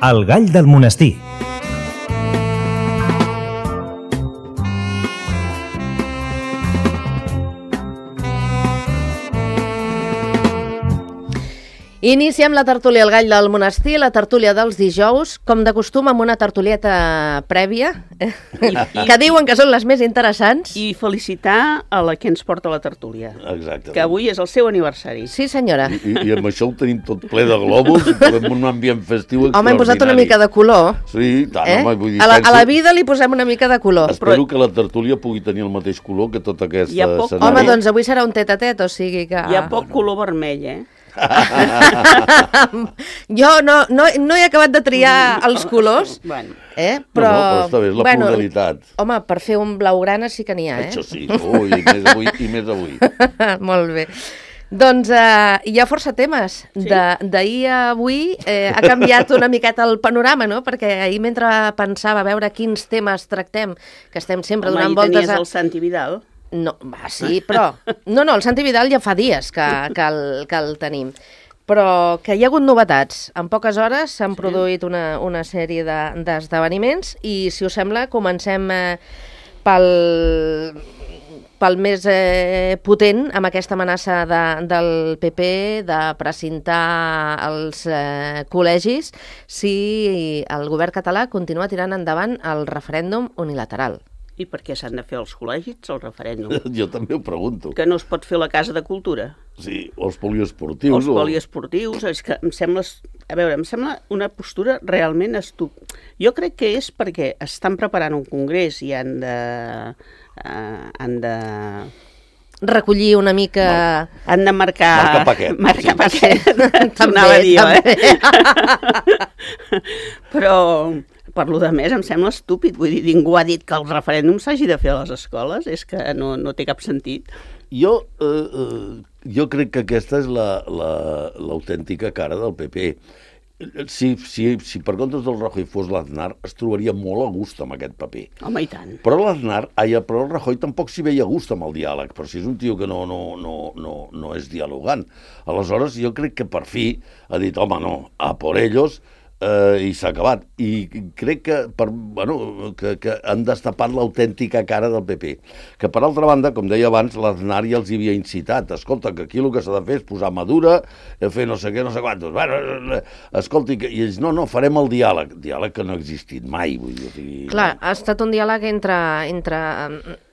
El gall del monestir. Iniciem la tertúlia El gall del monestir, la tertúlia dels dijous, com de costum amb una tertulieta prèvia, que diuen que són les més interessants. I felicitar a la que ens porta la tertúlia. Exacte. Que avui és el seu aniversari. Sí, senyora. I amb això ho tenim tot ple de globus, amb un ambient festiu extraordinari. Home, hem posat una mica de color. Sí, tant, home, vull dir... A la vida li posem una mica de color. Espero que la tertúlia pugui tenir el mateix color que tota aquesta escenari. Home, doncs avui serà un tet-a-tet, o sigui que... Hi ha poc color vermell, Jo no he acabat de triar els colors, però està bé, és la pluralitat. Home, per fer un blaugrana sí que n'hi ha, Això sí, i més avui. Molt bé. Doncs hi ha força temes. D'ahir a avui ha canviat una miqueta el panorama, no? Perquè ahir mentre pensava a veure quins temes tractem, que estem sempre donant voltes tenies el Santi Vidal. No, sí, però... No, el Santi Vidal ja fa dies que el tenim. Però que hi ha hagut novetats. En poques hores s'han produït una sèrie d'esdeveniments i, si us sembla, comencem pel més potent, amb aquesta amenaça del PP de precintar els col·legis si el govern català continua tirant endavant el referèndum unilateral. I per què s'han de fer els col·legis, el referèndum? Jo també ho pregunto. Que no es pot fer la Casa de Cultura? Sí, o els poliesportius. Els poliesportius, és que em sembla una postura realment estúpida. Jo crec que és perquè estan preparant un congrés i han de recollir una mica... Han de marcar paquet. Marcar paquet. També. Però... Per lo de més, em sembla estúpid. Vull dir, ningú ha dit que el referèndum s'hagi de fer a les escoles. És que no té cap sentit. Jo crec que aquesta és l'autèntica cara del PP. Si per comptes del Rajoy fos l'Aznar, es trobaria molt a gust amb aquest paper. Home, i tant. Però el Rajoy tampoc s'hi veia a gust amb el diàleg, però si és un tio que no és dialogant. Aleshores, jo crec que per fi ha dit, home, no, a por ellos... i s'ha acabat. I crec que han destapat l'autèntica cara del PP. Que, per altra banda, com deia abans, l'Aznar ja els hi havia incitat. Escolta, que aquí el que s'ha de fer és posar Madura, fer no sé què, no sé quantos. Escolta, i ells, no, farem el diàleg. Diàleg que no ha existit mai. Vull dir, clar, ha estat un diàleg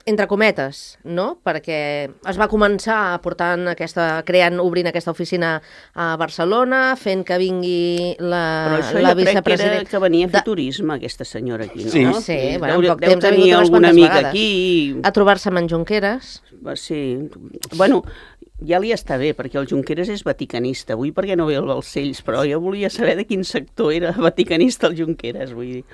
entre cometes, no? Perquè es va començar obrint aquesta oficina a Barcelona, fent que vingui la vicepresidenta... Però això jo crec que venia a fer turisme, aquesta senyora aquí, no? Sí, deu tenir alguna amiga aquí... A trobar-se amb en Junqueras. Sí, bueno... Ja li està bé, perquè el Junqueras és vaticanista. Avui perquè no ve el Balcells, però jo volia saber de quin sector era vaticanista el Junqueras, vull dir...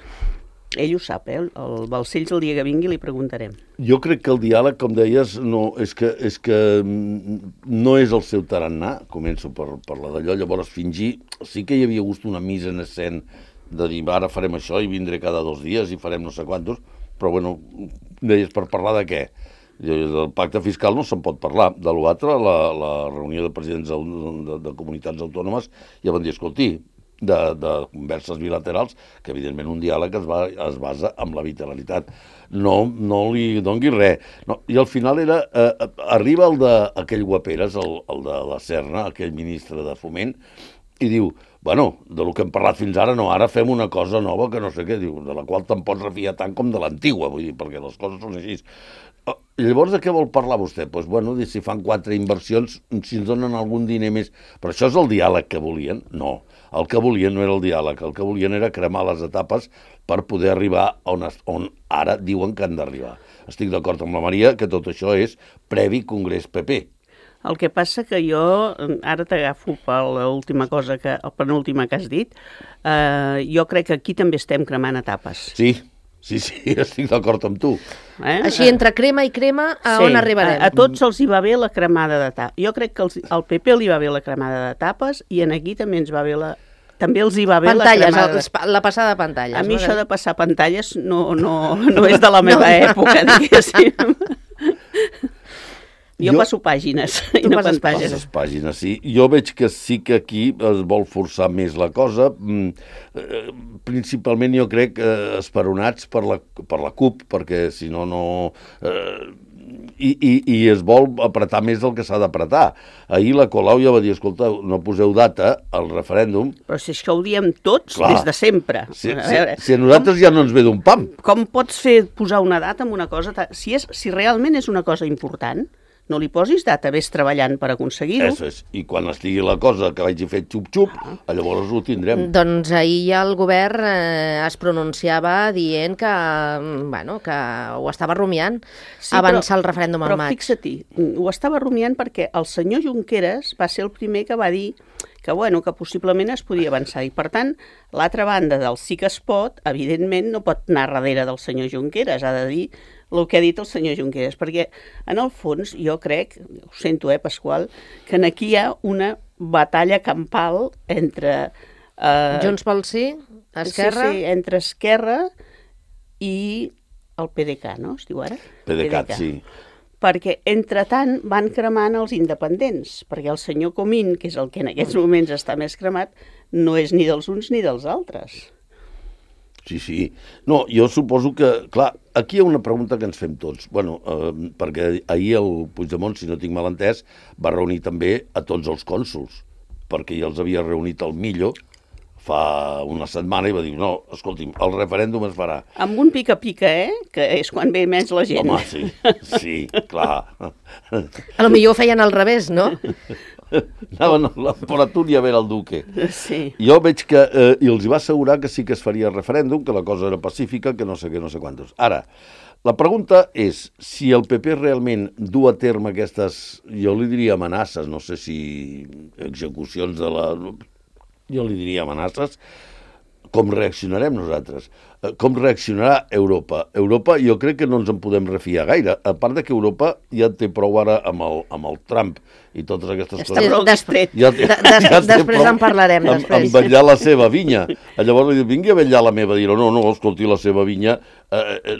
Ell ho sap, el Balcells el dia que vingui li preguntarem. Jo crec que el diàleg, com deies, és que no és el seu tarannà, començo per la d'allò, llavors fingir, sí que hi havia gust una mise en escena de dir, ara farem això i vindré cada 2 dies i farem no sé quantos, però bueno, deies, per parlar de què? Del pacte fiscal no se'n pot parlar, de l'altre, la reunió de presidents de comunitats autònomes ja van dir, escolti, de converses bilaterals, que evidentment un diàleg es basa en la bilateralitat. No li dongui res. No, i al final arriba aquell guaperes, el de la Serna, aquell ministre de Foment, i diu, bueno, del que hem parlat fins ara, no, ara fem una cosa nova que no sé què, diu, de la qual te'n pots refiar tant com de l'antigua, vull dir, perquè les coses són així. Llavors, de què vol parlar vostè? Doncs, bueno, si fan 4 inversions, si ens donen algun diner més... Però això és el diàleg que volien? No. El que volien no era el diàleg, el que volien era cremar les etapes per poder arribar on ara diuen que han d'arribar. Estic d'acord amb la Maria que tot això és previ Congrés PP. El que passa que jo, ara t'agafo per l'última cosa, el penúltima que has dit, jo crec que aquí també estem cremant etapes. Sí, estic d'acord amb tu. Així, entre crema i crema, on arribarem? A tots els hi va bé la cremada d'etapes. Jo crec que al PP li va bé la cremada d'etapes i aquí també ens va bé també els hi va bé pantalles, la cremada. La passada de pantalles. A mi això de passar pantalles no és de la meva època, diguéssim. Jo passo pàgines i no passes pantalles. Les pàgines, sí. Jo veig que sí que aquí es vol forçar més la cosa. Principalment jo crec esperonats per la CUP, perquè si no, no... I es vol apretar més del que s'ha d'apretar. Ahir la Colau ja va dir, escolta, no poseu data al referèndum. Però si això ho diem tots des de sempre. Si a nosaltres ja no ens ve d'un pam. Com pots posar una data en una cosa? Si realment és una cosa important, no li posis data, vés treballant per aconseguir-ho. Això és. I quan estigui la cosa que vagi fet xup-xup, llavors ho tindrem. Doncs ahir ja el govern es pronunciava dient que, que ho estava rumiant avançar el referèndum al maig. Però fixa't, ho estava rumiant perquè el senyor Junqueras va ser el primer que va dir que possiblement es podia avançar. I, per tant, l'altra banda del sí que es pot, evidentment, no pot anar darrere del senyor Junqueras, ha de dir el que ha dit el senyor Junqueras, perquè, en el fons, jo crec, ho sento, Pasqual, que aquí hi ha una batalla campal entre... Junts pel Sí, Esquerra... Sí, entre Esquerra i el PDeCAT, no? Es diu ara? PDeCAT, sí. Perquè, entretant, van cremant els independents, perquè el senyor Comín, que és el que en aquests moments està més cremat, no és ni dels uns ni dels altres. Sí. No, jo suposo que, clar, aquí hi ha una pregunta que ens fem tots. Perquè ahir el Puigdemont, si no tinc mal entès, va reunir també a tots els cònsols, perquè ja els havia reunit al Millo fa una setmana i va dir, no, escolti'm, el referèndum es farà. Amb un pica-pica, que és quan ve més la gent. Home, sí, clar. A lo millor ho feien al revés, no? Anaven a l'Emperatura i a veure el duque. Sí. Jo veig que, i els va assegurar que sí que es faria referèndum, que la cosa era pacífica, que no sé què, no sé quantos. Ara, la pregunta és si el PP realment du a terme aquestes, jo li diria amenaces, no sé si execucions de la... Jo li diria amenaces, com reaccionarem nosaltres? Com reaccionarà Europa? Europa jo crec que no ens en podem refiar gaire, a part de que Europa ja té prou ara amb el Trump i totes aquestes coses. Després en parlarem. En vetllar la seva vinya. Llavors li diu, vingui a vetllar la meva. Dirà, no, escolti, la seva vinya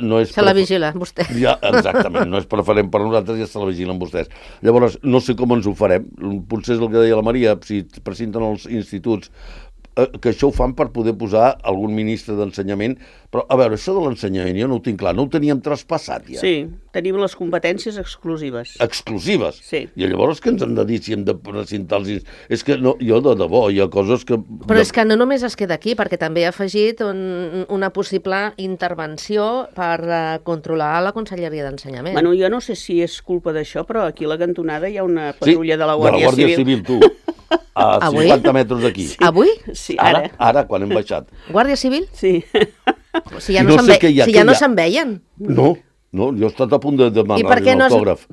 no és... Se la vigila, vostè. Ja, exactament, no és preferent per nosaltres, ja se la vigilen vostès. Llavors, no sé com ens ho farem. Potser és el que deia la Maria, si presenten els instituts, que això ho fan per poder posar algun ministre d'ensenyament, però a veure, això de l'ensenyament jo no ho tinc clar, no ho teníem traspassat ja. Sí, tenim les competències exclusives. Exclusives? Sí. I llavors què ens han de dir si hem de presentar els... És que no, jo de debò, hi ha coses que... Però és que no només es queda aquí, perquè també ha afegit una possible intervenció per controlar la Conselleria d'Ensenyament. Bueno, jo no sé si és culpa d'això, però aquí a la cantonada hi ha una patrulla de la Guàrdia Civil, tu. A 50 metres d'aquí. Sí. Avui? Sí, ara. Ara, quan hem baixat. Guàrdia Civil? Sí. Si ja no se'n veien. No, jo he estat a punt de demanar-li un autògraf.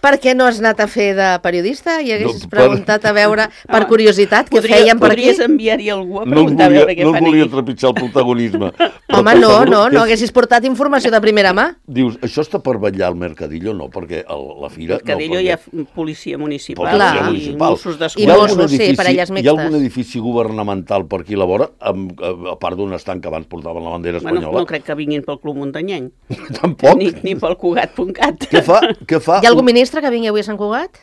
Per què no has anat a fer de periodista i haguessis preguntat a veure, per curiositat, què feien per aquí? Podries enviar-hi algú a preguntar a veure què fan aquí. No volia trepitjar el protagonisme. Home, no haguessis portat informació de primera mà. Dius, això està per vetllar al Mercadillo? No, perquè la fira... Al Mercadillo hi ha policia municipal i Mossos d'Esquadra. I Mossos, sí, parelles mixtes. Hi ha algun edifici governamental per aquí a la vora, a part d'un estanc que abans portaven la bandera espanyola? No crec que vinguin pel Club Muntanyenc. Tampoc? Ni pel Cugat.cat. Què fa? Hi ha algun ministre que vingui avui a Sant Cugat?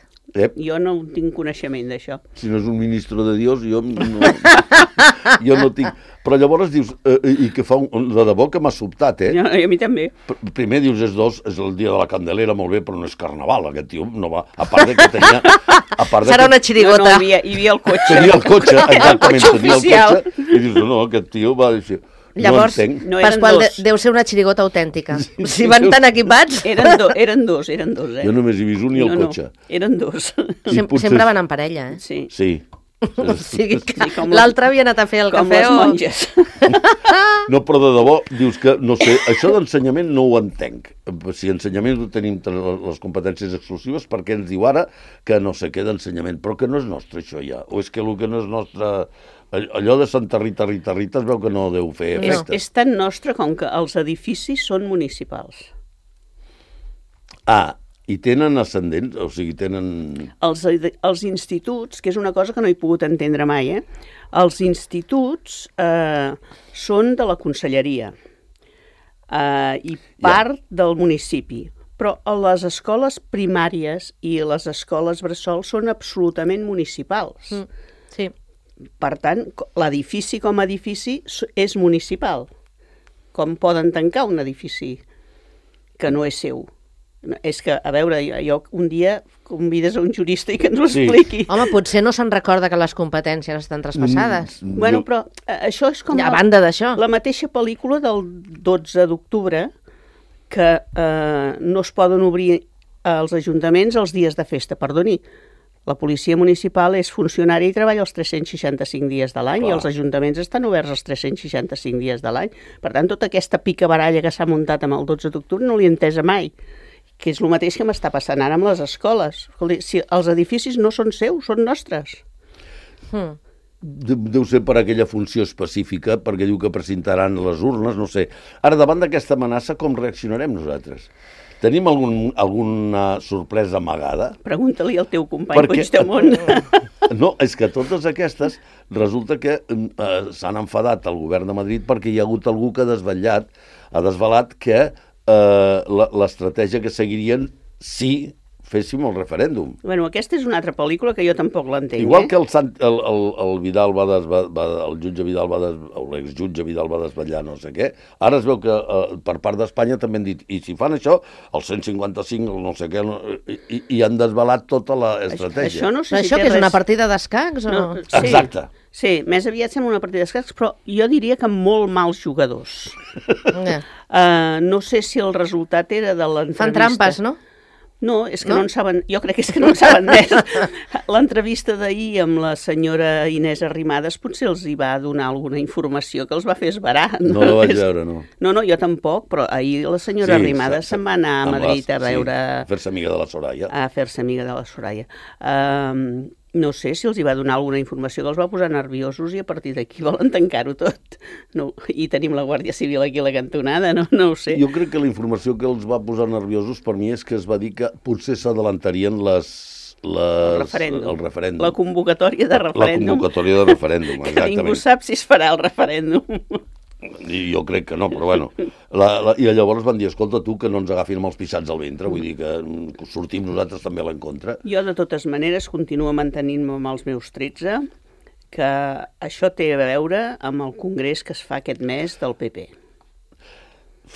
Jo no tinc coneixement d'això. Si no és un ministre de Dios, jo no tinc... Però llavors dius, i que fa de debò que m'ha sobtat, A mi també. Primer dius, és el dia de la Candelera, molt bé, però no és carnaval, aquest tio no va... A part de que tenia... Serà una xirigota. No, hi havia el cotxe. Tenia el cotxe, exactament, tenia el cotxe. I dius, no, aquest tio va dir... Llavors, Pasqual, deu ser una xirigota autèntica. Si van tan equipats... Eren dos. Jo només he vist un i el cotxe. Eren dos. Sempre van en parella, Sí. O sigui que l'altre havia anat a fer el cafè com les monges. No, però de debò, dius que, no sé, això d'ensenyament no ho entenc. Si ensenyament ho tenim les competències exclusives, per què ens diu ara que no sé què d'ensenyament? Però que no és nostre, això ja. O és que el que no és nostre... Allò de Santa Rita es veu que no deu fer efecte. És tan nostre com que els edificis són municipals. I tenen ascendents? O sigui, tenen... Els instituts, que és una cosa que no he pogut entendre mai, els instituts són de la conselleria i part del municipi, Però les escoles primàries i les escoles bressol són absolutament municipals. Sí. Per tant, l'edifici com a edifici és municipal. Com poden tancar un edifici que no és seu? És que, a veure, jo un dia convides a un jurista i que ens ho expliqui. Home, potser no se'n recorda que les competències estan traspassades. Bueno, però això és com a banda d'això. La mateixa pel·lícula del 12 d'octubre que no es poden obrir els ajuntaments els dies de festa. Perdoni, la policia municipal és funcionària i treballa els 365 dies de l'any i els ajuntaments estan oberts els 365 dies de l'any. Per tant, tota aquesta picabaralla que s'ha muntat amb el 12 d'octubre no l'he entesa mai, que és el mateix que m'està passant ara amb les escoles. Escolti, si els edificis no són seus, són nostres. Deu ser per aquella funció específica, perquè diu que presentaran les urnes, no sé. Ara, davant d'aquesta amenaça, com reaccionarem nosaltres? Tenim alguna sorpresa amagada? Pregunta-li al teu company Puigdemont. No, és que totes aquestes resulta que s'han enfadat al govern de Madrid perquè hi ha hagut algú que ha desvelat que l'estratègia que seguirien si féssim el referèndum. Bueno, aquesta és una altra pel·lícula que jo tampoc l'entenc. Igual que el Vidal el jutge Vidal l'exjutge Vidal va desvetllar no sé què, ara es veu que per part d'Espanya també han dit, i si fan això, el 155, el no sé què, i han desvelat tota l'estratègia. Això que és una partida d'escacs? No, sí. Exacte. Sí, més aviat sembla una partida d'escacs, però jo diria que amb molt mals jugadors. No sé si el resultat era de l'entrevista. Fan trampes, no? No, és que no en saben, jo crec que és que no en saben més. L'entrevista d'ahir amb la senyora Inés Arrimadas potser els hi va donar alguna informació que els va fer esverar. No la vaig veure, no. No, jo tampoc, però ahir la senyora Arrimadas se'n va anar a Madrid a veure... A fer-se amiga de la Soraya. A fer-se amiga de la Soraya. No sé si els hi va donar alguna informació que els va posar nerviosos i a partir d'aquí volen tancar-ho tot. No, i tenim la Guàrdia Civil aquí a la cantonada, no ho sé. Jo crec que la informació que els va posar nerviosos per mi és que es va dir que potser s'adelantarien el referèndum. La convocatòria de referèndum. La convocatòria de referèndum, exactament. Que ningú sap si es farà el referèndum. I jo crec que no, però bueno. I llavors van dir, escolta, tu, que no ens agafin amb els pixats al ventre, vull dir que sortim nosaltres també a l'encontre. Jo, de totes maneres, continuo mantenint-me amb els meus 13, que això té a veure amb el congrés que es fa aquest mes del PP.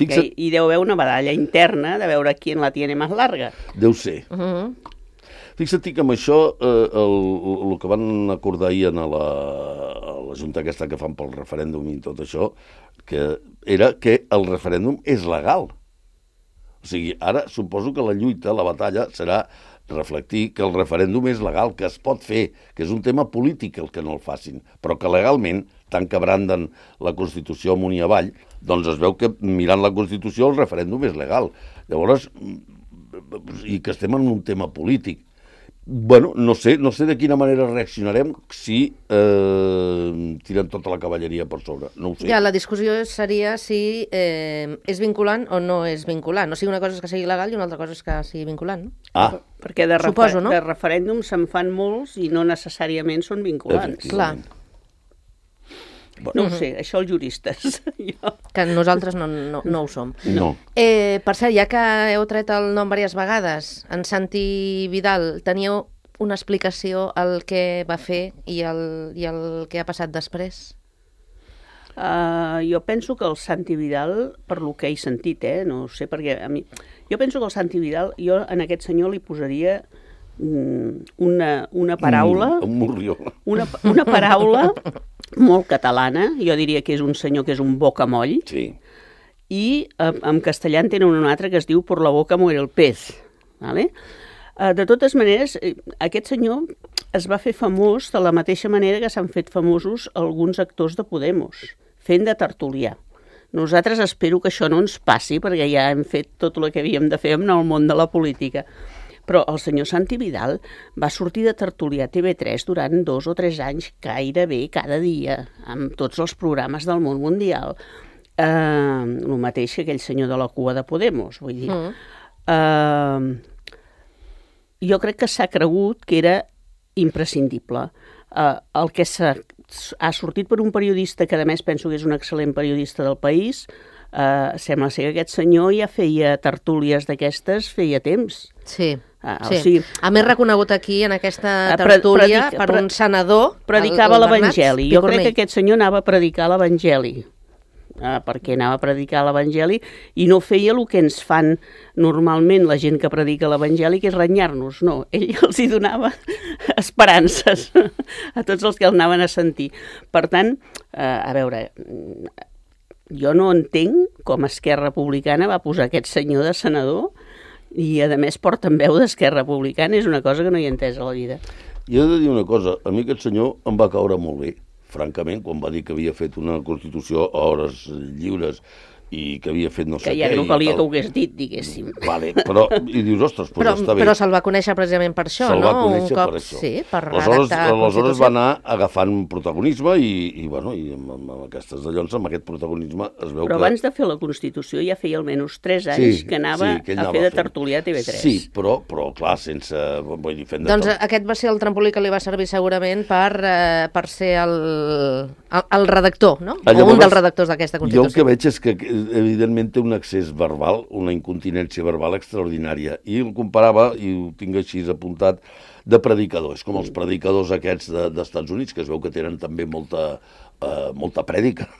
I deu haver una batalla interna de veure qui la tiene més larga. Deu ser. Fixa't que amb això, el que van acordar ahir a la junta aquesta que fan pel referèndum i tot això, que era que el referèndum és legal. O sigui, ara suposo que la lluita, la batalla, serà reflectir que el referèndum és legal, que es pot fer, que és un tema polític el que no el facin, però que legalment, tant que branden la Constitució amunt i avall, doncs es veu que mirant la Constitució el referèndum és legal. Llavors, i que estem en un tema polític. Bueno, no sé de quina manera reaccionarem si tirem tota la cavalleria per sobre, no ho sé. Ja, la discussió seria si és vinculant o no és vinculant. O sigui, una cosa és que sigui legal i una altra cosa és que sigui vinculant, no? Perquè de referèndum se'n fan molts i no necessàriament són vinculants. Clar. No ho sé, això els juristes. Que nosaltres no ho som. No. Per cert, ja que heu tret el nom diverses vegades, en Santi Vidal, teníeu una explicació al que va fer i el que ha passat després? Jo penso que el Santi Vidal, per lo que he sentit, no sé, perquè a mi... Jo penso que el Santi Vidal, jo en aquest senyor li posaria una paraula... Un morrió. Una paraula molt catalana, jo diria que és un senyor que és un bocamoll, sí. I en castellà en tenen un altre que es diu por la boca muere el pez. ¿Vale? De totes maneres, aquest senyor es va fer famós de la mateixa manera que s'han fet famosos alguns actors de Podemos, fent de tertulià. Nosaltres espero que això no ens passi, perquè ja hem fet tot el que havíem de fer en el món de la política. Però el senyor Santi Vidal va sortir de tertulià a TV3 durant 2 o 3 anys, gairebé cada dia, amb tots els programes del món mundial. El mateix que aquell senyor de la cua de Podemos, vull dir. Jo crec que s'ha cregut que era imprescindible. El que ha sortit per un periodista, que a més penso que és un excel·lent periodista del País, sembla ser que aquest senyor ja feia tertúlies d'aquestes feia temps. Sí. O sigui, a més reconegut aquí en aquesta tertúlia per un senador. Predicava l'Evangeli. Jo crec que aquest senyor anava a predicar l'Evangeli. Perquè anava a predicar l'Evangeli i no feia el que ens fan normalment la gent que predica l'Evangeli, que és renyar-nos. No, ell els hi donava esperances a tots els que el anaven a sentir. Per tant, a veure, jo no entenc com Esquerra Republicana va posar aquest senyor de senador i, a més, portaveu d'Esquerra Republicana. És una cosa que no hi he entès a la vida. Jo he de dir una cosa, a mi aquest senyor em va caure molt bé. Francament, quan va dir que havia fet una Constitució a hores lliures i que havia fet no sé què... Que ja no calia que ho hagués dit, diguéssim. Vale, però, i dius, ostres, doncs està bé. Però se'l va conèixer precisament per això, no? Se'l va conèixer per això. Sí, per redactar aleshores va anar agafant protagonisme i amb aquestes dallons, amb aquest protagonisme es veu que... Però abans de fer la Constitució ja feia almenys 3 anys que anava a fer de tertulià a TV3. Sí, però clar, sense... Vull dir, fent de doncs aquest va ser el trampolí que li va servir segurament per ser el redactor, no? O un dels redactors d'aquesta Constitució. Jo el que veig és que evidentment té un excés verbal, una incontinència verbal extraordinària, i el comparava, i ho tinc així apuntat, de predicadors, com els predicadors aquests d'Estats Units, que es veu que tenen també molta prèdica.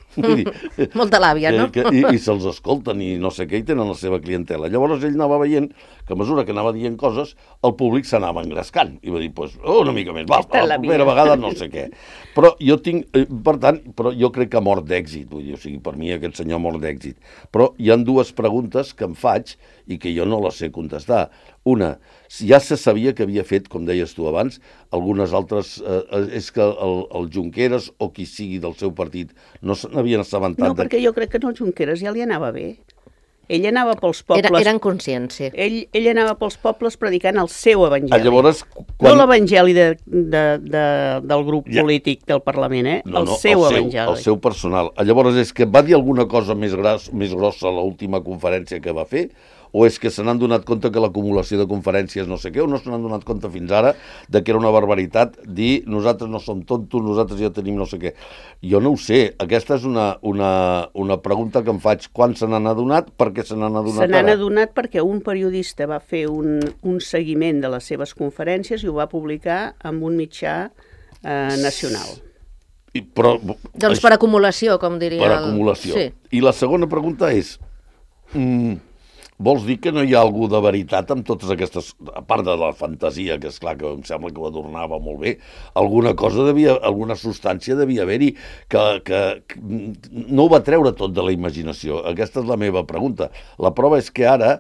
Molta làbia, no? I se'ls escolten i no sé què, i tenen la seva clientela. Llavors ell anava veient que a mesura que anava dient coses, el públic s'anava engrescant. I va dir, una mica més, va, la primera vegada no sé què. Però jo tinc, per tant, jo crec que ha mort d'èxit, vull dir, o sigui, per mi aquest senyor ha mort d'èxit. Però hi ha 2 preguntes que em faig i que jo no les sé contestar. Una, ja se sabia que havia fet, com deies tu abans, algunes altres... és que el Junqueras o qui sigui del seu partit no se n'havien assabentat... No, perquè jo crec que el Junqueras ja li anava bé. Ell anava pels pobles... Eren conscients, sí. Ell anava pels pobles predicant el seu evangeli. Llavors, no l'evangeli del grup polític del Parlament, el seu evangeli. El seu personal. Llavors, és que va dir alguna cosa més grossa a l'última conferència que va fer, o és que se n'han donat compte que l'acumulació de conferències no sé què, o no se n'han donat compte fins ara de que era una barbaritat dir nosaltres no som tontos, nosaltres ja tenim no sé què. Jo no ho sé. Aquesta és una pregunta que em faig. Quan se n'han adonat? Per què se n'han adonat ara? Se n'han adonat perquè un periodista va fer un seguiment de les seves conferències i ho va publicar en un mitjà nacional. Doncs per acumulació, com diria. Per acumulació. I la segona pregunta és... Vols dir que no hi ha algú de veritat amb totes aquestes... A part de la fantasia, que és clar que em sembla que ho adornava molt bé, alguna substància devia haver-hi que no ho va treure tot de la imaginació. Aquesta és la meva pregunta. La prova és que ara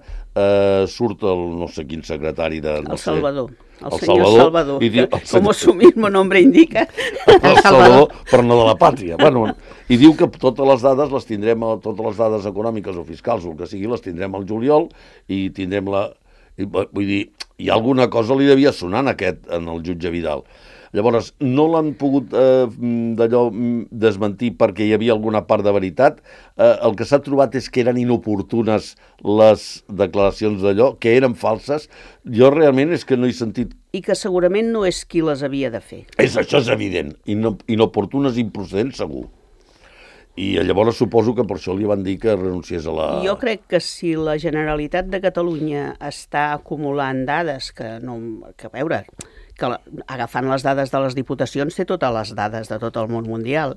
surt el no sé quin secretari de... El Salvador. El senyor Salvador, com su mismo nombre indica. El Salvador, però no de la pàtria. Bueno, i diu que totes les dades les tindrem, totes les dades econòmiques o fiscals o el que sigui, les tindrem al juliol i tindrem la... Vull dir, hi ha alguna cosa li devia sonar en el jutge Vidal. Llavors, no l'han pogut desmentir perquè hi havia alguna part de veritat. El que s'ha trobat és que eren inoportunes les declaracions d'allò, que eren falses. Jo realment és que no he sentit... I que segurament no és qui les havia de fer. Això és evident. Inoportunes i improcedents, segur. I llavors suposo que per això li van dir que renunciés a la... Jo crec que si la Generalitat de Catalunya està acumulant dades que a veure... que agafant les dades de les diputacions té totes les dades de tot el món mundial.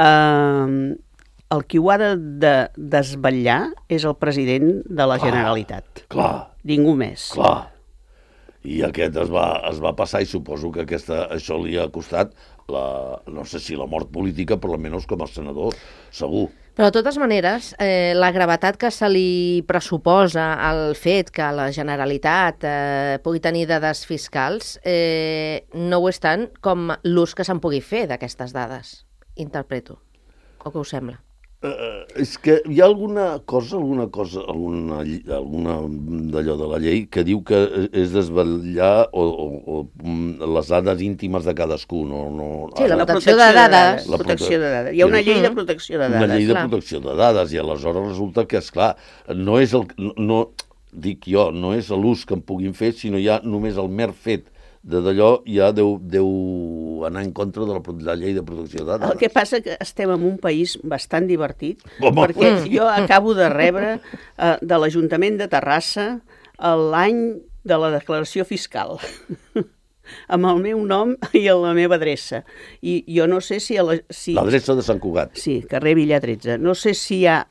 El qui ho ha de desvetllar és el president de la Generalitat. Clar. Ningú més. Clar. I aquest es va passar i suposo que això li ha costat, no sé si la mort política, però almenys com a senador, segur. Però de totes maneres, la gravetat que se li pressuposa al fet que la Generalitat pugui tenir dades fiscals no ho és tant com l'ús que se'n pugui fer d'aquestes dades, interpreto. O què us sembla? És que hi ha alguna d'allò de la llei que diu que és desvetllar les dades íntimes de cadascú. Sí, la protecció de dades. La protecció de dades. Hi ha una llei de protecció de dades. Una llei de protecció de dades, i aleshores resulta que, esclar, no és no és l'ús que en puguin fer, sinó ja només el mer fet d'allò ja deu anar en contra de la llei de protecció de dades. El que passa que estem en un país bastant divertit, Home. perquè jo acabo de rebre de l'Ajuntament de Terrassa l'any de la declaració fiscal, amb el meu nom i la meva adreça. I jo no sé si... L'adreça de Sant Cugat. Sí, carrer Villar 13. No sé si ja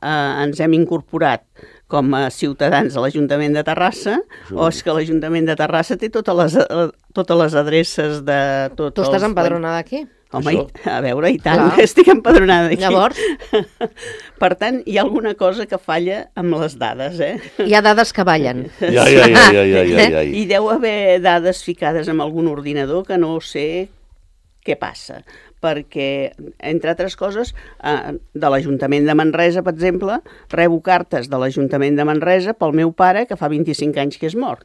ens hem incorporat com a ciutadans a l'Ajuntament de Terrassa, o és que l'Ajuntament de Terrassa té totes les adreces de tots els... Tu estàs empadronada aquí? Home, Això. a veure, i tant, Clar. estic empadronada aquí. Llavors? Per tant, hi ha alguna cosa que falla amb les dades, Hi ha dades que ballen. Ja. I deu haver dades ficades en algun ordinador que no sé què passa, perquè, entre altres coses, de l'Ajuntament de Manresa, per exemple, rebo cartes de l'Ajuntament de Manresa pel meu pare, que fa 25 anys que és mort.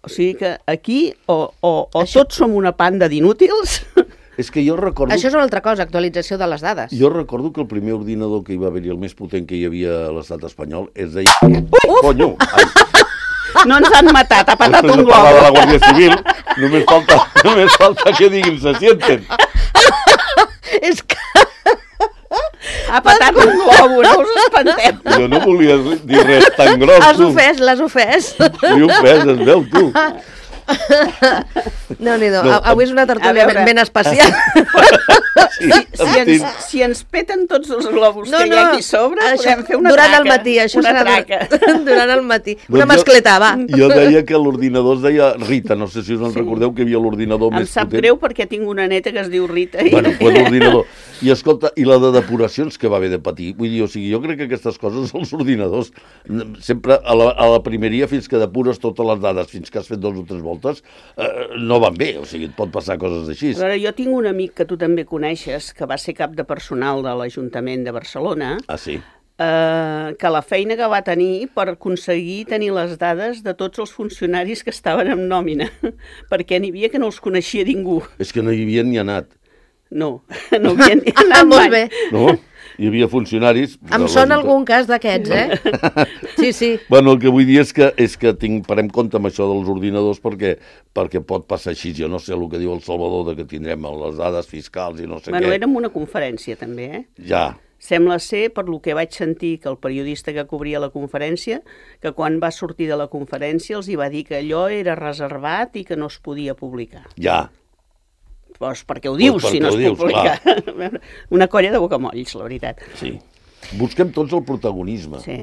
O sigui que aquí o tots som una panda d'inútils... És que jo recordo... Això és una altra cosa, actualització de les dades. Jo recordo que el primer ordinador que hi va haver-hi, el més potent que hi havia a l'estat espanyol, es deia... Conyo! No ens han matat, ha patat un Després de parlar de la globo. Guàrdia Civil, només falta que diguin se sienten. És que... Ha patat un globo, no us espanteu. Jo no volia dir res tan gros, L'has tu. ofès, l'has ofès. Li ofès, es veu, tu. Déu-n'hi-do, No, avui és una tertúlia a veure. ben especial. Sí, Si ens peten tots els globus que hi ha aquí sobre, podem fer una durant traca. el matí, això una serà traca. durant el matí. Una Doncs mascleta, va. Jo deia que l'ordinador es deia Rita, no sé si us en recordeu que hi havia l'ordinador Em més sap potent. greu perquè tinc una neta que es diu Rita. Bueno, pues l'ordinador. I escolta, i la de depuracions que va haver de patir. Vull dir, o sigui, jo crec que aquestes coses, els ordinadors, sempre a la primeria, fins que depures totes les dades, fins que has fet 2 o 3 voltes, no van bé. O sigui, et pot passar coses així. A veure, jo tinc un amic que tu també coneixes, que va ser cap de personal de l'Ajuntament de Barcelona, Ah, sí? que la feina que va tenir per aconseguir tenir les dades de tots els funcionaris que estaven en nòmina, perquè n'hi havia que no els coneixia ningú. És que no hi havia ni anat. No havia ni anat Molt mai. bé. No? Hi havia funcionaris... Em sona algun cas d'aquests, Sí, sí. Bueno, el que vull dir és que parem compte amb això dels ordinadors perquè pot passar així. Jo no sé el que diu el Salvador de que tindrem les dades fiscals i no sé Bueno, què. érem una conferència també, Ja. Sembla ser, per lo que vaig sentir, que el periodista que cobria la conferència, que quan va sortir de la conferència els hi va dir que allò era reservat i que no es podia publicar. Ja. Doncs perquè ho dius, Doncs si no perquè es ho dius, publica. Una colla de bocamolls, la veritat. Sí. Busquem tots el protagonisme. Sí.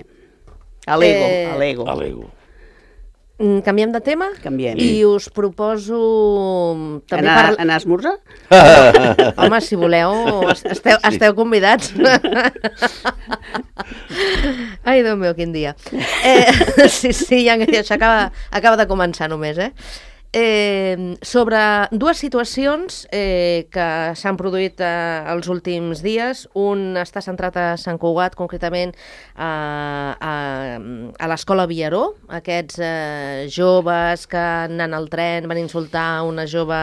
A l'ego, a l'ego. A l'ego. Canviem de tema? Canviem. I us proposo... També Anar a esmorzar? Home, si voleu, esteu convidats. Ai, Déu meu, quin dia. Sí, ja això acaba de començar només, sobre dues situacions que s'han produït els últims dies. Un està centrat a Sant Cugat, concretament a l'escola Viaró. Aquests joves que anant al tren van insultar una jove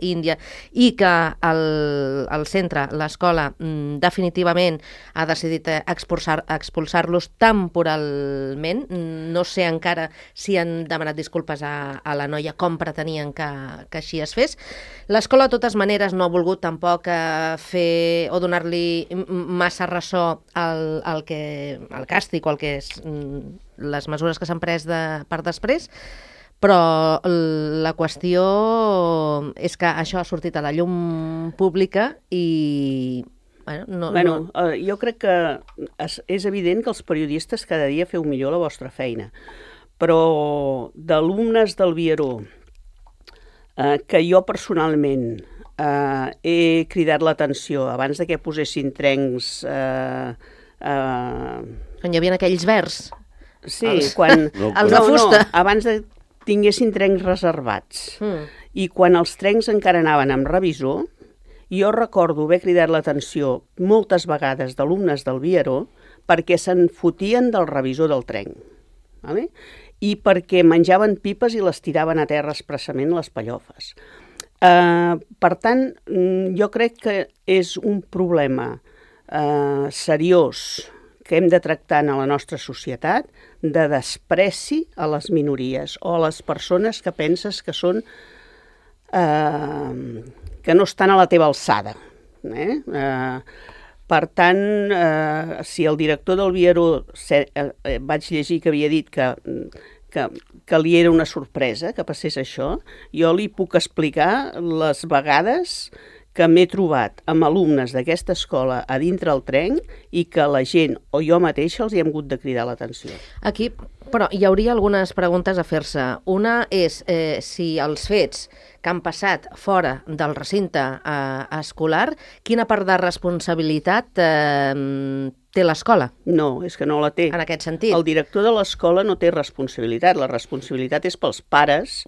índia i que el centre, l'escola, definitivament ha decidit expulsar-los temporalment. No sé encara si han demanat disculpes a la noia, com pretenien que així es fes. L'escola, de totes maneres, no ha volgut tampoc fer o donar-li massa ressò al càstig o al que és les mesures que s'han pres per després, però la qüestió és que això ha sortit a la llum pública i... Jo crec que és evident que els periodistes cada dia feu millor la vostra feina, però d'alumnes del Viaró que jo personalment he cridat l'atenció abans de que posessin trencs... Quan hi havia aquells verds. Sí, quan... Els de fusta. No, abans de tinguessin trencs reservats. I quan els trencs encara anaven amb revisor, jo recordo haver cridat l'atenció moltes vegades d'alumnes del Viaró perquè se'n fotien del revisor del trenc. Vale? I perquè menjaven pipes i les tiraven a terra expressament les pallofes. Per tant, jo crec que és un problema seriós que hem de tractar a la nostra societat de despreci a les minories o a les persones que penses que són que no estan a la teva alçada. Per tant, si el director del Vieró vaig llegir que havia dit que li era una sorpresa que passés això, jo li puc explicar les vegades que m'he trobat amb alumnes d'aquesta escola a dintre el tren i que la gent o jo mateixa els hi hem hagut de cridar l'atenció. Aquí, però hi hauria algunes preguntes a fer-se. Una és si els fets que han passat fora del recinte escolar, quina part de responsabilitat té l'escola? No, és que no la té. En aquest sentit? El director de l'escola no té responsabilitat. La responsabilitat és pels pares,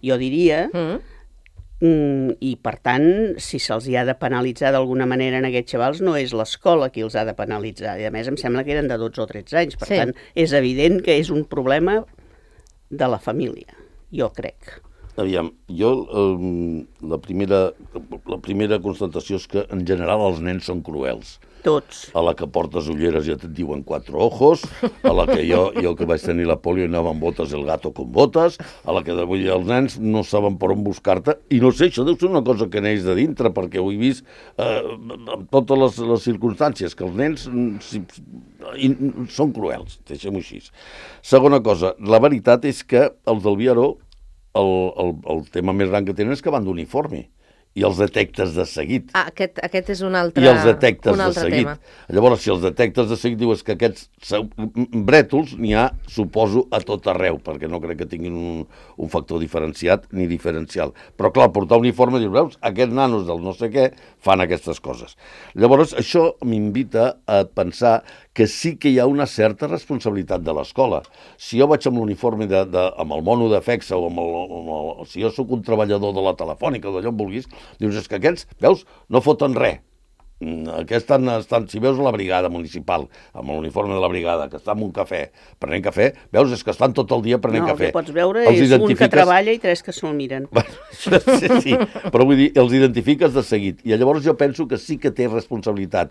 jo diria, i per tant, si se'ls hi ha de penalitzar d'alguna manera en aquests xavals, no és l'escola qui els ha de penalitzar. I a més em sembla que eren de 12 o 13 anys. Per tant, és evident que és un problema de la família, jo crec. Aviam, jo la primera constatació és que en general els nens són cruels. Tots. A la que portes ulleres ja et diuen 4 ojos, a la que jo que vaig tenir la polio i anava amb botes, el gato con botes, a la que vull dir, els nens no saben per on buscar-te, i no sé, això deu ser una cosa que neix de dintre, perquè ho he vist amb totes les circumstàncies, que els nens són cruels, deixem-ho així. Segona cosa, la veritat és que els del Vieró, el tema més gran que tenen és que van d'uniforme i els detectes de seguit. Aquest és un altre, I els detectes de seguit. tema. Llavors, si els detectes de seguit dius que aquests brètols n'hi ha, suposo, a tot arreu, perquè no crec que tinguin un factor diferenciat ni diferencial. Però clar, portar uniforme, dius, veus, aquests nanos del no sé què fan aquestes coses. Llavors, això m'invita a pensar que sí que hi ha una certa responsabilitat de l'escola. Si jo vaig amb l'uniforme amb el mono de FEXA o si jo sóc un treballador de la Telefònica o d'allò on vulguis, dius, és que aquests, veus, no foten res. Aquests estan, si veus la brigada municipal, amb l'uniforme de la brigada, que està en un cafè, prenent cafè, veus, és que estan tot el dia prenent cafè. No, el que pots veure és un que treballa i 3 que se'l miren. Sí, però vull dir, els identifiques de seguit. I llavors jo penso que sí que té responsabilitat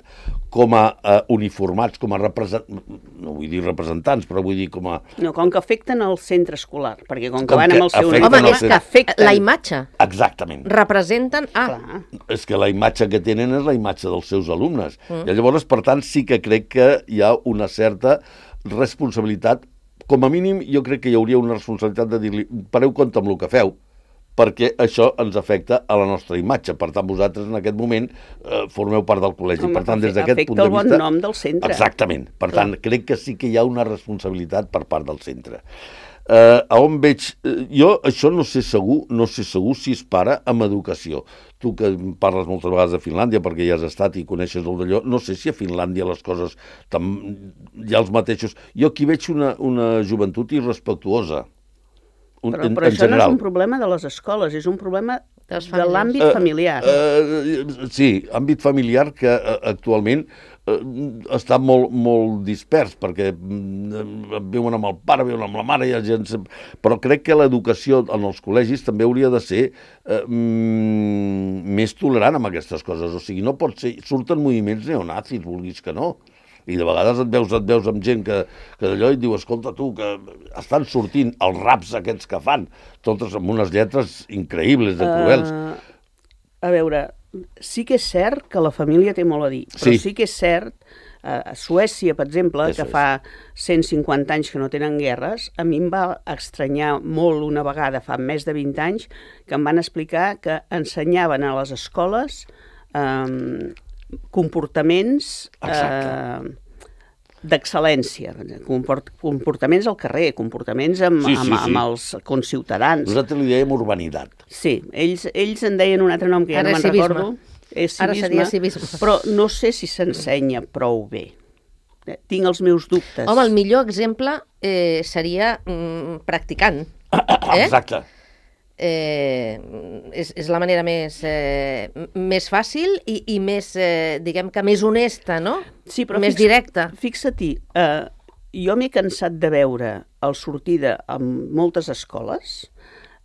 com a uniformats, com a representants, no vull dir representants, però vull dir com a... No, com que afecten el centre escolar, perquè com que van amb el seu uniforme... Home, és que afecten la imatge. Exactament. Representen... És que la imatge que tenen és la imatge dels seus alumnes. I llavors, per tant, sí que crec que hi ha una certa responsabilitat. Com a mínim, jo crec que hi hauria una responsabilitat de dir-li, pareu compte amb el que feu, perquè això ens afecta a la nostra imatge. Per tant, vosaltres en aquest moment formeu part del col·legi. Home, per tant, des d'aquest punt de vista... Afecta el bon nom del centre. Exactament. Per tant, crec que sí que hi ha una responsabilitat per part del centre. A on veig... Jo això no sé segur si es para amb educació. Tu que parles moltes vegades de Finlàndia perquè ja has estat i coneixes el d'allò, no sé si a Finlàndia les coses hi ha els mateixos. Jo aquí veig una joventut irrespectuosa. Però això no és un problema de les escoles, és un problema de l'àmbit familiar. Sí, àmbit familiar que actualment està molt dispers, perquè viuen amb el pare, viuen amb la mare, però crec que l'educació en els col·legis també hauria de ser més tolerant amb aquestes coses. O sigui, no pot ser... Surten moviments neonazis, vulguis que no. I de vegades et veus amb gent que d'allò i et diu, escolta tu, que estan sortint els raps aquests que fan, totes amb unes lletres increïbles de cruels. A veure, sí que és cert que la família té molt a dir, però sí que és cert, a Suècia, per exemple, que fa 150 anys que no tenen guerres, a mi em va estranyar molt una vegada, fa més de 20 anys, que em van explicar que ensenyaven a les escoles comportaments d'excel·lència, comportaments al carrer, comportaments amb els conciutadans. Nosaltres li dèiem urbanitat. Sí, ells en deien un altre nom que ja no me'n recordo. Ara seria civisme. Però no sé si s'ensenya prou bé. Tinc els meus dubtes. Home, el millor exemple seria practicant. Exacte. És la manera més fàcil i més, diguem que més honesta, no? Sí, però més directa. Fixa-t'hi, jo m'he cansat de veure al sortida en moltes escoles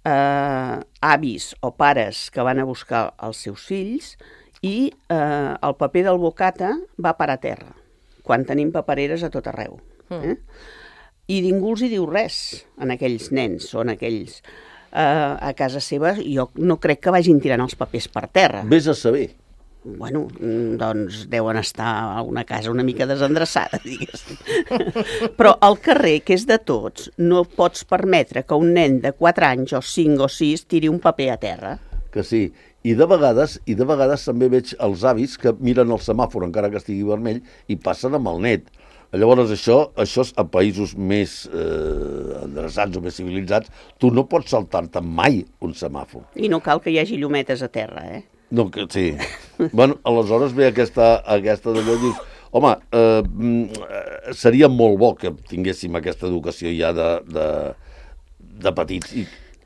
avis o pares que van a buscar els seus fills i el paper del bocata va parar a terra, quan tenim papereres a tot arreu. I ningú els hi diu res en aquells nens o en aquells... a casa seva, jo no crec que vagin tirant els papers per terra. Vés a saber. Bueno, doncs deuen estar a una casa una mica desendreçada, diguéssim. Però al carrer, que és de tots, no pots permetre que un nen de 4 anys o 5 o 6 tiri un paper a terra. Que sí. I de vegades també veig els avis que miren el semàfor encara que estigui vermell i passen amb el net. Llavors això a països més endreçats o més civilitzats, tu no pots saltar-te mai un semàfor. I no cal que hi hagi llumetes a terra, No, que sí. Bueno, aleshores ve aquesta d'allò i dius, home, seria molt bo que tinguéssim aquesta educació ja de petits.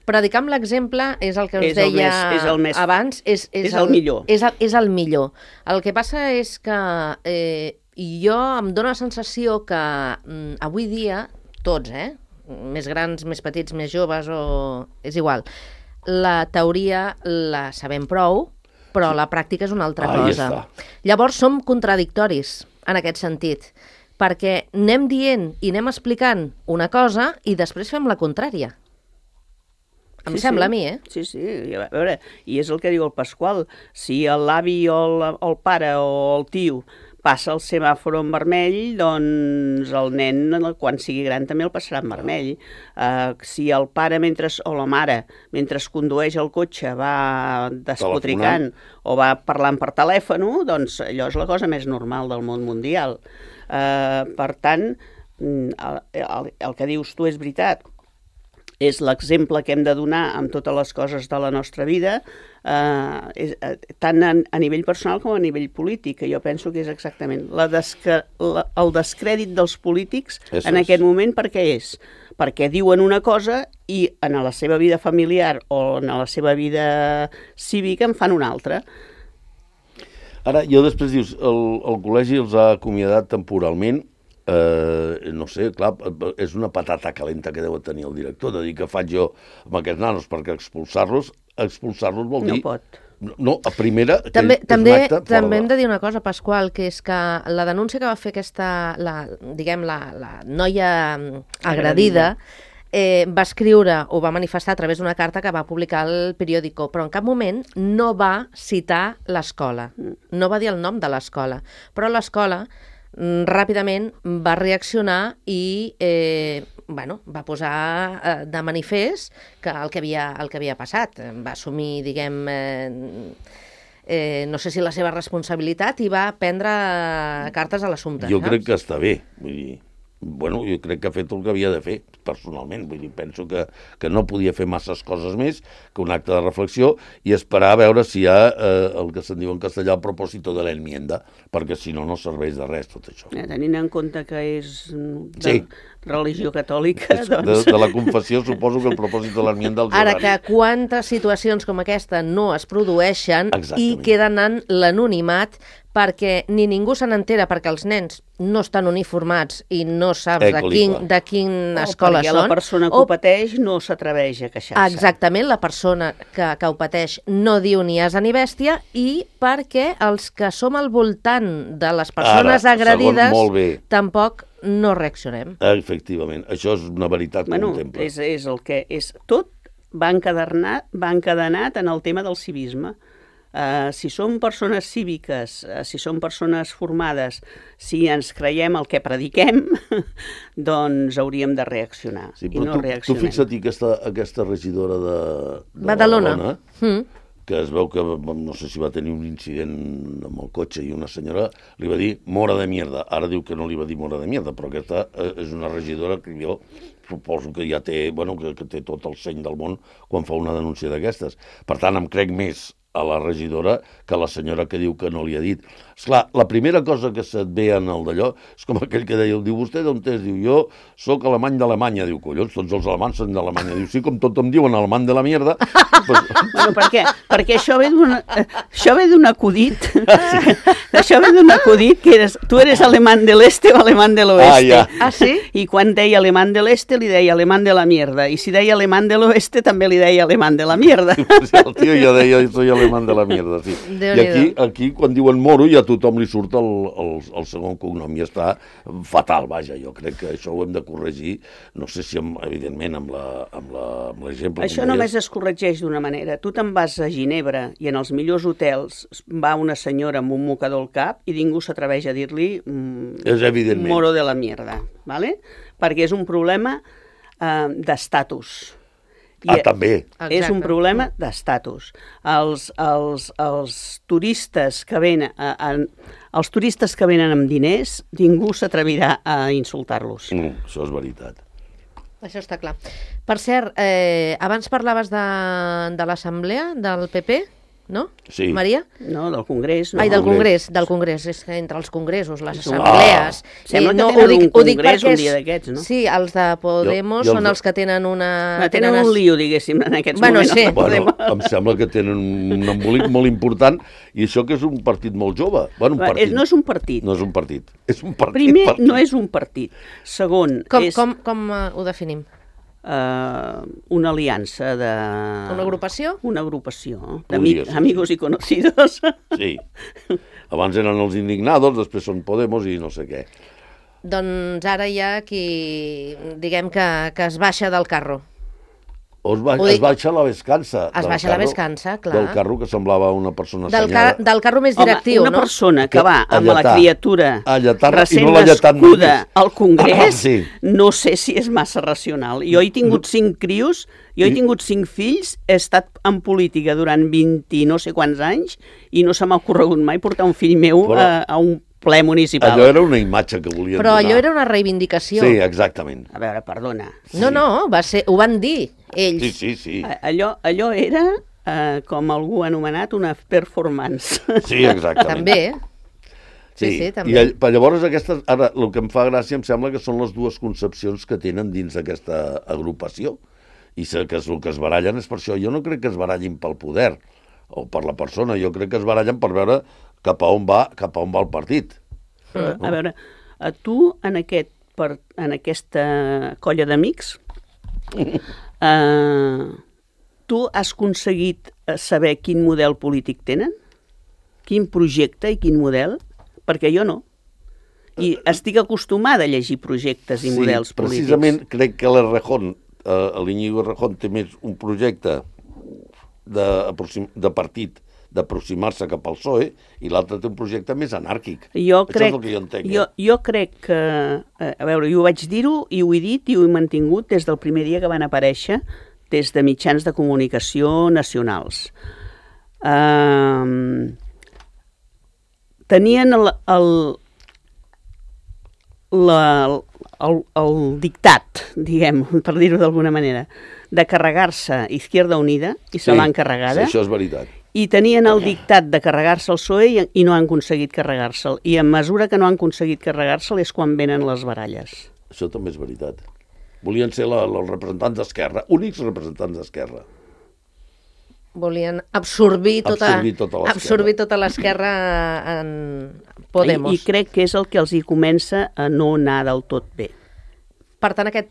Predicar amb l'exemple és el que us deia abans. És el millor. És el millor. El que passa és que jo em dóna la sensació que avui dia, tots, més grans, més petits, més joves, és igual, la teoria la sabem prou, però la pràctica és una altra cosa. Llavors som contradictoris en aquest sentit, perquè anem dient i anem explicant una cosa i després fem la contrària. Em sembla a mi, Sí, a veure, i és el que diu el Pasqual, si l'avi o el pare o el tio passa el semàfor en vermell, doncs el nen, quan sigui gran, també el passarà en vermell. Si el pare o la mare, mentre condueix el cotxe, va despotricant o va parlant per telèfon, doncs allò és la cosa més normal del món mundial. Per tant, el que dius tu és veritat. És l'exemple que hem de donar amb totes les coses de la nostra vida, tant a nivell personal com a nivell polític, que jo penso que és exactament el descrèdit dels polítics en aquest moment. Per què és? Perquè diuen una cosa i en la seva vida familiar o en la seva vida cívica en fan una altra. Ara, jo després dius, el col·legi els ha acomiadat temporalment. No sé, clar, és una patata calenta que deu tenir el director, de dir que faig jo amb aquests nanos, perquè expulsar-los vol dir... No pot. No, a primera... També hem de dir una cosa, Pasqual, que és que la denúncia que va fer la noia agredida va escriure o va manifestar a través d'una carta que va publicar el periòdico, però en cap moment no va citar l'escola, no va dir el nom de l'escola, però l'escola ràpidament va reaccionar i va posar de manifest que el que havia passat. Va assumir, no sé si la seva responsabilitat, i va prendre cartes a l'assumpte. Jo crec que està bé, vull dir... Bueno, jo crec que ha fet el que havia de fer, personalment. Vull dir, penso que no podia fer masses coses més que un acte de reflexió i esperar a veure si hi ha el que se'n diu en castellà el propòsito de l'enmienda, perquè si no, no serveix de res tot això. Tenint en compte que és religió catòlica, doncs... De la confessió, suposo que el propòsit de l'enmienda... Ara, que quantes situacions com aquesta no es produeixen i queden en l'anonimat, perquè ni ningú se n'entera, perquè els nens no estan uniformats i no saps de quina escola són. Perquè la persona que ho pateix no s'atreveix a queixar-se. Exactament, la persona que ho pateix no diu ni asa ni bèstia, i perquè els que som al voltant de les persones agredides tampoc no reaccionem. Efectivament, això és una veritat contempla. És el que és. Tot va encadenat en el tema del civisme. Si som persones cíviques, si som persones formades, si ens creiem el que prediquem, doncs hauríem de reaccionar. Sí, però tu fixa't aquesta regidora de Badalona, que es veu que, no sé si va tenir un incident amb el cotxe i una senyora li va dir mora de mierda. Ara diu que no li va dir mora de mierda, però aquesta és una regidora que jo suposo que ja té, que té tot el seny del món quan fa una denúncia d'aquestes. Per tant, em crec més a la regidora que a la senyora que diu que no li ha dit. Esclar, la primera cosa que se't ve en el d'allò és com aquell que deia, diu, vostè d'on és? Diu, jo soc alemany d'Alemanya. Diu, collons, tots els alemanys són d'Alemanya. Diu, sí, com tot em diuen alemany de la mierda. Bueno, perquè això ve d'un acudit. Això ve d'un acudit que tu eres alemán del este o alemán del oeste. Ah, sí? I quan deia alemán del este li deia alemán de la mierda. I si deia alemán de l'oeste també li deia alemán de la mierda. El tio ja deia, soy alemán de la mierda, sí. I aquí, quan diuen moro, ja a tothom li surt el segon cognom i està fatal, vaja, jo crec que això ho hem de corregir, no sé si, evidentment, amb l'exemple... Això només es corregeix d'una manera. Tu te'n vas a Ginebra i en els millors hotels va una senyora amb un mocador al cap i ningú s'atreveix a dir-li moro de la mierda, ¿vale? Perquè és un problema d'estatus. També. És un problema d'estatus. Els turistes que venen amb diners, ningú s'atrevirà a insultar-los. Això és veritat. Això està clar. Per cert, abans parlaves de l'assemblea del PP, no? Sí. Maria? No, del Congrés. No. Ai, del Congrés. És que entre els congressos, les assemblees... Sembla que tenen un congrés un dia d'aquests, no? Sí, els de Podemos són els que tenen una... Tenen un lío, diguéssim, en aquests moments. Sí. Bueno, em sembla que tenen un embolic molt important i això que és un partit molt jove. Bueno, no és un partit. No és un partit. És un partit. Primer, no és un partit. Segon, Com ho definim? Una aliança de... Una agrupació? Una agrupació d'amigos i conocidos. Sí. Abans eren els indignados, després són Podemos i no sé què. Doncs ara hi ha qui, diguem que es baixa del carro. Es baixa la vescança. Es baixa la vescança, clar. Del carro que semblava una persona assenyada. Del carro més directiu, una persona que va amb la criatura recent nascuda al Congrés, no sé si és massa racional. Jo he tingut 5 crios, jo he tingut 5 fills, he estat en política durant 20 no sé quants anys i no se m'ha ocorregut mai portar un fill meu a un ple municipal. Allò era una imatge que volien donar. Però allò era una reivindicació. Sí, exactament. A veure, perdona. No, ho van dir ells. Sí. Allò era, com algú ha anomenat, una performance. Sí, exactament. També. Sí, també. I llavors ara el que em fa gràcia em sembla que són les dues concepcions que tenen dins d'aquesta agrupació. I que el que es barallen és per això. Jo no crec que es barallin pel poder o per la persona, jo crec que es barallen per veure cap a on va el partit. A veure, tu en aquesta colla d'amics tu has aconseguit saber quin model polític tenen? Quin projecte i quin model? Perquè jo no. I estic acostumada a llegir projectes i models polítics. Precisament crec que l'Iñigo Errejón té més un projecte de partit d'aproximar-se cap al PSOE i l'altre té un projecte més anàrquic. Això és el que jo entenc. Jo crec que... A veure, jo vaig dir-ho i ho he dit i ho he mantingut des del primer dia que van aparèixer des de mitjans de comunicació nacionals. Tenien el dictat, diguem, per dir-ho d'alguna manera, de carregar-se Izquierda Unida i se l'han carregada. Sí, això és veritat. I tenien el dictat de carregar-se el PSOE i no han aconseguit carregar-se'l. I en mesura que no han aconseguit carregar-se'l és quan venen les baralles. Això també és veritat. Volien ser els representants d'Esquerra, únics representants d'Esquerra. Volien absorbir tota l'esquerra en Podemos. I crec que és el que els hi comença a no anar del tot bé. Per tant, aquest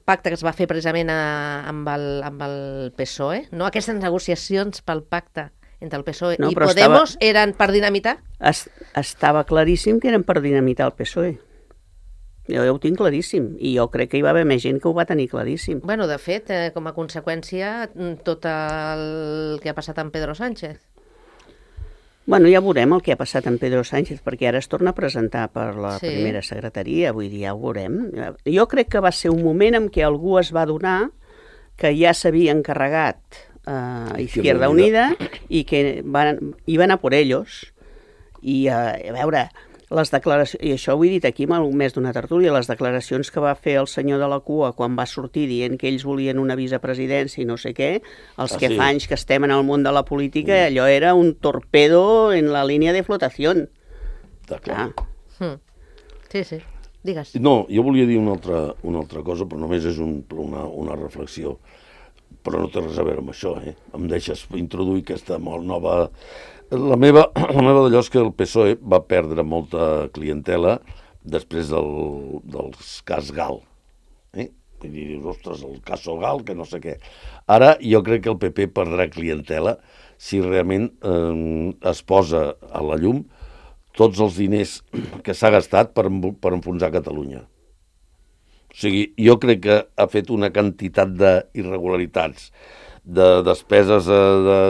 pacte que es va fer precisament amb el PSOE, no? Aquestes negociacions pel pacte entre el PSOE i Podemos eren per dinamitar? Estava claríssim que eren per dinamitar el PSOE. Jo ho tinc claríssim, i jo crec que hi va haver més gent que ho va tenir claríssim. Bueno, de fet, com a conseqüència, tot el que ha passat amb Pedro Sánchez. Bueno, ja veurem el que ha passat amb Pedro Sánchez, perquè ara es torna a presentar per la primera secretaria, vull dir, ja ho veurem. Jo crec que va ser un moment en què algú es va adonar que ja s'havia encarregat Izquierda Unida i que iban a por ellos. I a veure, les declaracions, i això ho he dit aquí més d'una tertúlia, les declaracions que va fer el senyor de la cua quan va sortir dient que ells volien una vicepresidència i no sé què, els que fa anys que estem en el món de la política, allò era un torpedo en la línia de flotació. Està clar. Sí, digues. No, jo volia dir una altra cosa, però només és una reflexió. Però no té res a veure amb això, Em deixes introduir aquesta molt nova... La meva d'allò és que el PSOE va perdre molta clientela després del cas Gal. I dius, ostres, el cas Solgal, que no sé què. Ara jo crec que el PP perdrà clientela si realment es posa a la llum tots els diners que s'ha gastat per enfonsar Catalunya. O sigui, jo crec que ha fet una quantitat d'irregularitats, de despeses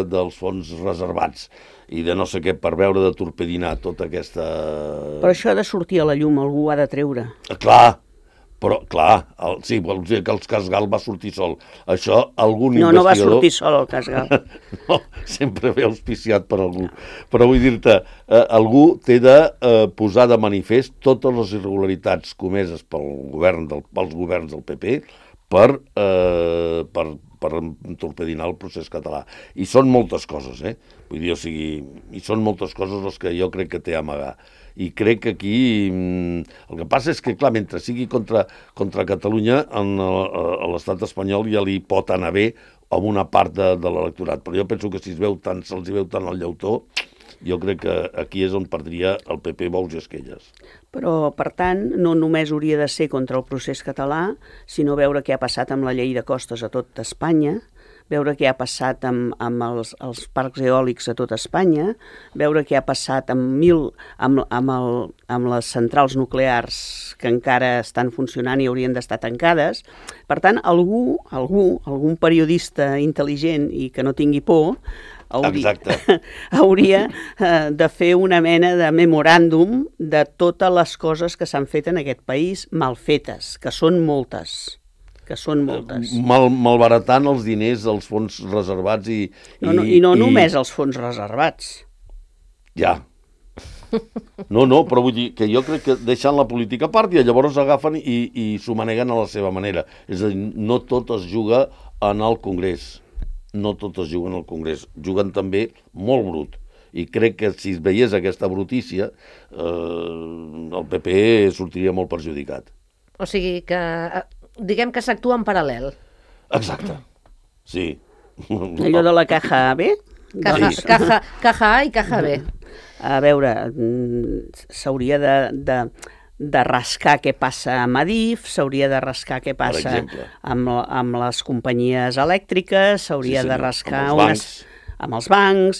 dels fons reservats i de no sé què per veure de torpedinar tota aquesta... Però això ha de sortir a la llum, algú ha de treure. Clar, però clar, sí, vols dir que el Casgal va sortir sol. Això algun investigador... No va sortir sol el Casgal. No, sempre ve auspiciat per algú. Però vull dir-te, algú té de posar de manifest totes les irregularitats comeses pels governs del PP per torpedinar el procés català. I són moltes coses, Vull dir, o sigui, i són moltes coses les que jo crec que té a amagar. I crec que aquí el que passa és que, clar, mentre sigui contra Catalunya, a l'estat espanyol ja li pot anar bé amb una part de l'electorat. Però jo penso que si se'ls veu tant el llautó, jo crec que aquí és on perdria el PP bous i esquelles. Però, per tant, no només hauria de ser contra el procés català, sinó veure què ha passat amb la llei de costes a tot Espanya, veure què ha passat amb els parcs eòlics a tot Espanya, veure què ha passat amb les centrals nuclears que encara estan funcionant i haurien d'estar tancades. Per tant, algun periodista intel·ligent i que no tingui por, hauria de fer una mena de memoràndum de totes les coses que s'han fet en aquest país mal fetes, que són moltes. Malbaratant els diners dels fons reservats i no només els fons reservats. Ja. No, però vull dir que jo crec que deixant la política a part i llavors agafen i s'ho maneguen a la seva manera. És a dir, no tot es juga en el Congrés. No tot es juga en el Congrés. Juguen també molt brut. I crec que si es veiés aquesta brutícia, el PP sortiria molt perjudicat. O sigui que... diguem que s'actua en paral·lel. Exacte, sí. Allò de la caja B? Caja A i caja B. A veure, s'hauria de rascar què passa amb Adif, s'hauria de rascar què passa amb les companyies elèctriques, s'hauria de rascar amb els bancs,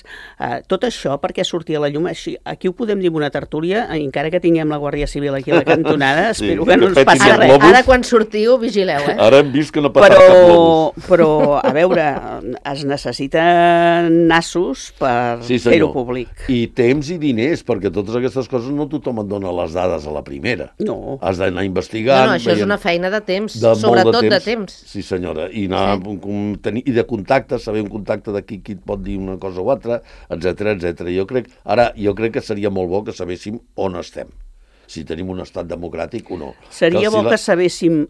tot això perquè sortia a la llum. Aquí ho podem dir en una tertúlia, encara que tinguem la Guàrdia Civil aquí a la cantonada, espero que no ens passi res. Ara quan sortiu, vigileu, Ara hem vist que no ha passat cap globus. Però, a veure, es necessiten nassos per fer-ho públic. I temps i diners, perquè totes aquestes coses no tothom et dona les dades a la primera. No. Has d'anar investigant. No, això és una feina de temps, sobretot de temps. Sí, senyora. I de contactes, saber un contacte de qui et pot dir una cosa o altra, etc. Jo crec que seria molt bo que sabéssim on estem, si tenim un estat democràtic o no. Seria bo que sabéssim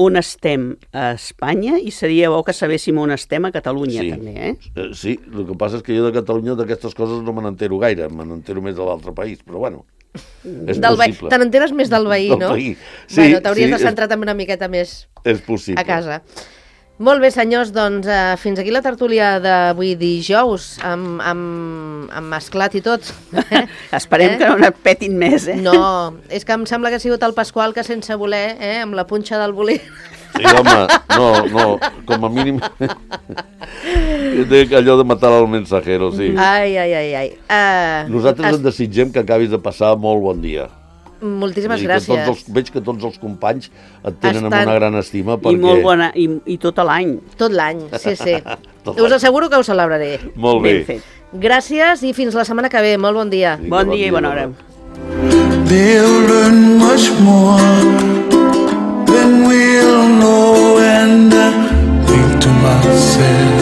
on estem a Espanya i seria bo que sabéssim on estem a Catalunya, també, Sí, el que passa és que jo de Catalunya d'aquestes coses no me n'entero gaire, me n'entero més de l'altre país, però bueno, és possible. Te n'enteres més del veí, no? Bueno, t'hauries de centrar també una miqueta més a casa. Molt bé, senyors, doncs fins aquí la tertúlia d'avui dijous, amb mesclat i tot. Esperem que no et petin més, No, és que em sembla que ha sigut el Pasqual que sense voler, amb la punxa del bolí... Sí, home, no, com a mínim... allò de matar el mensajero, sí. Ai. Nosaltres et desitgem que acabis de passar molt bon dia. Moltíssimes gràcies. Veig que tots els companys et tenen amb una gran estima. I molt bona, i tot l'any. Tot l'any, sí. Us asseguro que ho celebraré. Molt bé. Ben fet. Gràcies i fins la setmana que ve. Molt bon dia. Bon dia i bona hora. They'll learn much more than we'll know, and I think to myself